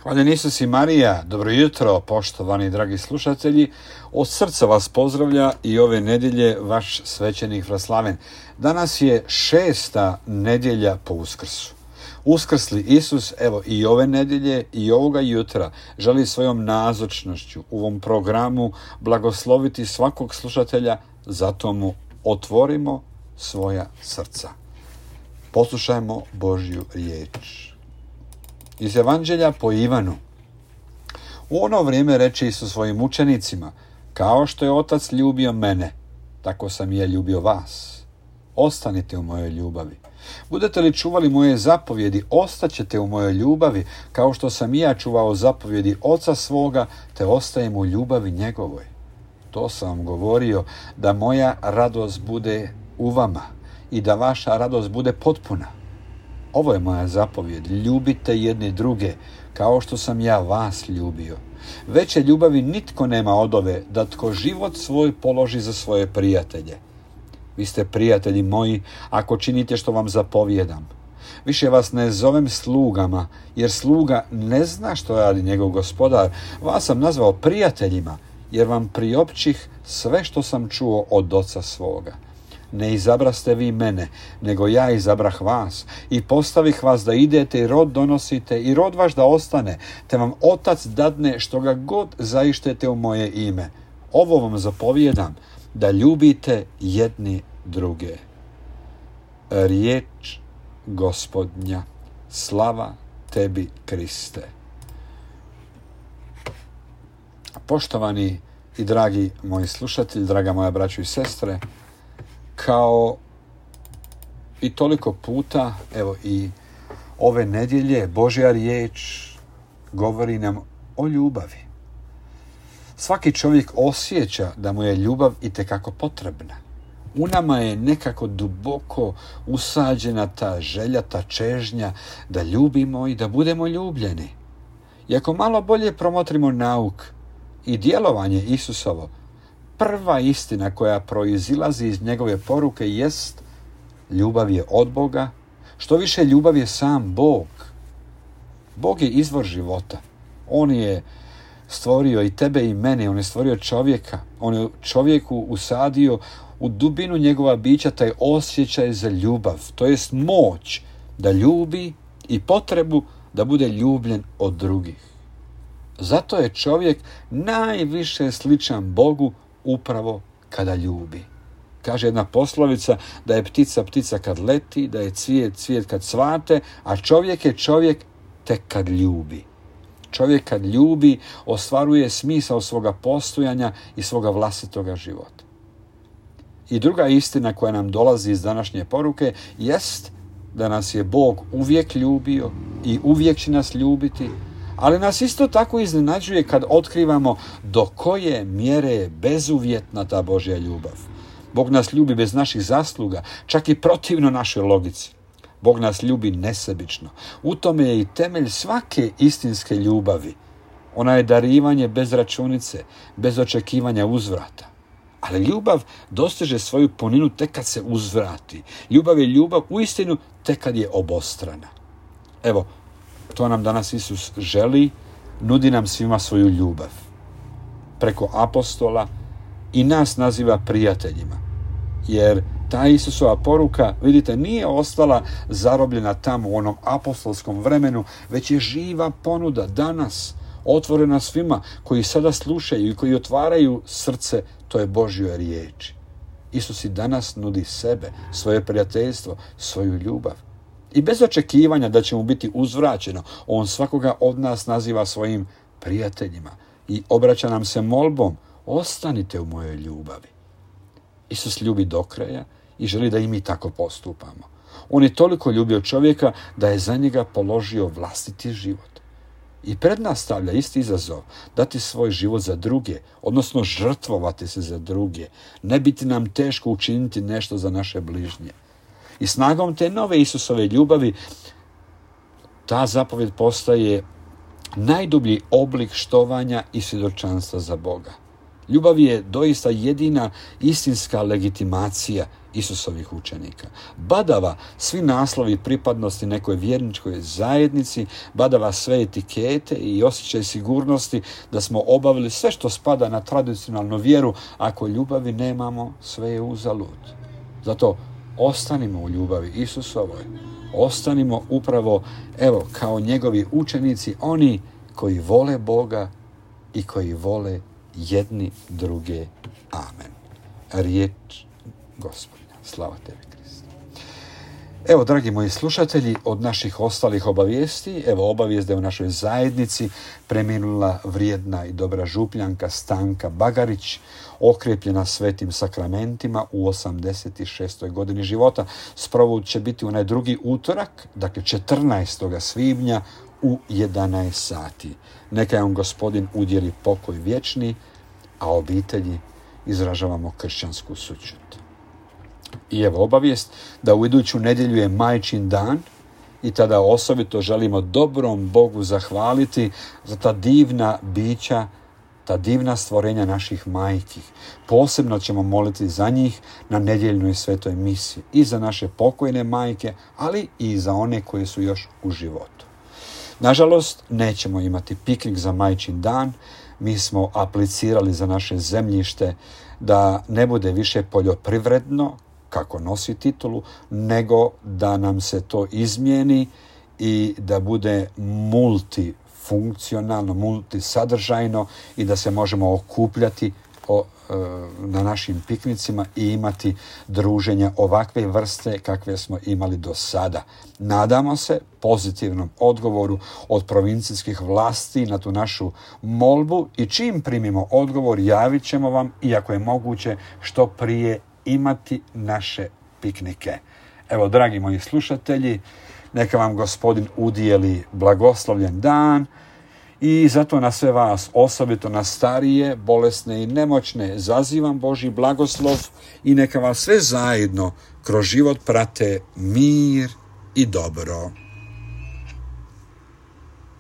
Hvaljen Isus i Marija, dobro jutro, poštovani dragi slušatelji. Od srca vas pozdravlja i ove nedjelje vaš svećenik Vraslaven. Danas je 6. nedjelja po Uskrsu. Uskrsli Isus, evo i ove nedjelje i ovoga jutra, želi svojom nazočnošću u ovom programu blagosloviti svakog slušatelja, zato mu otvorimo svoja srca. Poslušajmo Božju riječ. Iz Evanđelja po Ivanu. U ono vrijeme reče Isus svojim učenicima: kao što je Otac ljubio mene, tako sam i ja ljubio vas. Ostanite u mojoj ljubavi. Budete li čuvali moje zapovjedi, ostaćete u mojoj ljubavi, kao što sam i ja čuvao zapovjedi Oca svoga, te ostajem u ljubavi njegovoj. To sam vam govorio, da moja radost bude u vama i da vaša radost bude potpuna. Ovo je moja zapovjed: ljubite jedni druge, kao što sam ja vas ljubio. Veće ljubavi nitko nema od ove, da tko život svoj položi za svoje prijatelje. Vi ste prijatelji moji, ako činite što vam zapovjedam. Više vas ne zovem slugama, jer sluga ne zna što radi njegov gospodar. Vas sam nazvao prijateljima, jer vam priopćih sve što sam čuo od Oca svoga. Ne izabraste vi mene, nego ja izabrah vas i postavih vas da idete i rod donosite i rod vaš da ostane, te vam Otac dadne što ga god zaištete u moje ime. Ovo vam zapovjedam, da ljubite jedni druge. Riječ Gospodnja. Slava tebi, Kriste. Poštovani i dragi moji slušatelji, draga moja braćo i sestre, kao i toliko puta, evo i ove nedjelje, Božja riječ govori nam o ljubavi. Svaki čovjek osjeća da mu je ljubav itekako potrebna. U nama je nekako duboko usađena ta želja, ta čežnja da ljubimo i da budemo ljubljeni. I ako malo bolje promotrimo nauk i djelovanje Isusovo, prva istina koja proizilazi iz njegove poruke jest: ljubav je od Boga, što više ljubav je sam Bog. Bog je izvor života. On je stvorio i tebe i mene, on je stvorio čovjeka, on je čovjeku usadio u dubinu njegova bića taj osjećaj za ljubav, to jest moć da ljubi i potrebu da bude ljubljen od drugih. Zato je čovjek najviše sličan Bogu upravo kada ljubi. Kaže jedna poslovica da je ptica ptica kad leti, da je cvijet cvijet kad cvate, a čovjek je čovjek tek kad ljubi. Čovjek kad ljubi ostvaruje smisao svoga postojanja i svoga vlastitoga života. I druga istina koja nam dolazi iz današnje poruke jest da nas je Bog uvijek ljubio i uvijek će nas ljubiti, ali nas isto tako iznenađuje kad otkrivamo do koje mjere je bezuvjetna ta Božja ljubav. Bog nas ljubi bez naših zasluga, čak i protivno našoj logici. Bog nas ljubi nesebično. U tome je i temelj svake istinske ljubavi. Ona je darivanje bez računice, bez očekivanja uzvrata. Ali ljubav dostiže svoju puninu tek kad se uzvrati. Ljubav je ljubav uistinu tek kad je obostrana. Evo, to nam danas Isus želi, nudi nam svima svoju ljubav. Preko apostola i nas naziva prijateljima. Jer ta Isusova poruka, vidite, nije ostala zarobljena tamo u onom apostolskom vremenu, već je živa ponuda danas, otvorena svima koji sada slušaju i koji otvaraju srce toj Božjoj riječi. Isus i danas nudi sebe, svoje prijateljstvo, svoju ljubav. I bez očekivanja da će mu biti uzvraćeno, on svakoga od nas naziva svojim prijateljima i obraća nam se molbom: ostanite u mojoj ljubavi. Isus ljubi do kraja i želi da i mi tako postupamo. On je toliko ljubio čovjeka da je za njega položio vlastiti život. I pred nas stavlja isti izazov: dati svoj život za druge, odnosno žrtvovati se za druge. Ne biti nam teško učiniti nešto za naše bližnje. I snagom te nove Isusove ljubavi ta zapovjed postaje najdublji oblik štovanja i svjedočanstva za Boga. Ljubav je doista jedina istinska legitimacija Isusovih učenika. Badava svi naslovi pripadnosti nekoj vjerničkoj zajednici, badava sve etikete i osjećaj sigurnosti da smo obavili sve što spada na tradicionalnu vjeru. Ako ljubavi nemamo, sve je uzalud. Zato ostanimo u ljubavi Isusovoj. Ostanimo upravo, kao njegovi učenici, oni koji vole Boga i koji vole jedni druge. Amen. Riječ Gospodnja. Slava tebi, Kriste. Dragi moji slušatelji, od naših ostalih obavijesti, obavijest da je u našoj zajednici preminula vrijedna i dobra župljanka Stanka Bagarić, okrepljena svetim sakramentima u 86. godini života. Sprovod će biti onaj drugi utorak, dakle 14. svibnja u 11 sati. Neka vam Gospodin udjeli pokoj vječni, a obitelji izražavamo kršćansku sućut. I obavijest da u iduću nedjelju je Majčin dan i tada osobito želimo dobrom Bogu zahvaliti za ta divna bića, ta divna stvorenja naših majki. Posebno ćemo moliti za njih na nedjeljnoj svetoj misi i za naše pokojne majke, ali i za one koje su još u životu. Nažalost, nećemo imati piknik za Majčin dan. Mi smo aplicirali za naše zemljište da ne bude više poljoprivredno, kako nosi titulu, nego da nam se to izmijeni i da bude multifunkcionalno, multisadržajno i da se možemo okupljati na našim piknicima i imati druženja ovakve vrste kakve smo imali do sada. Nadamo se pozitivnom odgovoru od provincijskih vlasti na tu našu molbu i čim primimo odgovor javit ćemo vam, iako je moguće, što prije imati naše piknike. Dragi moji slušatelji, neka vam Gospodin udijeli blagoslovljen dan i zato na sve vas, osobito na starije, bolesne i nemoćne, zazivam Božji blagoslov i neka vas sve zajedno kroz život prate mir i dobro.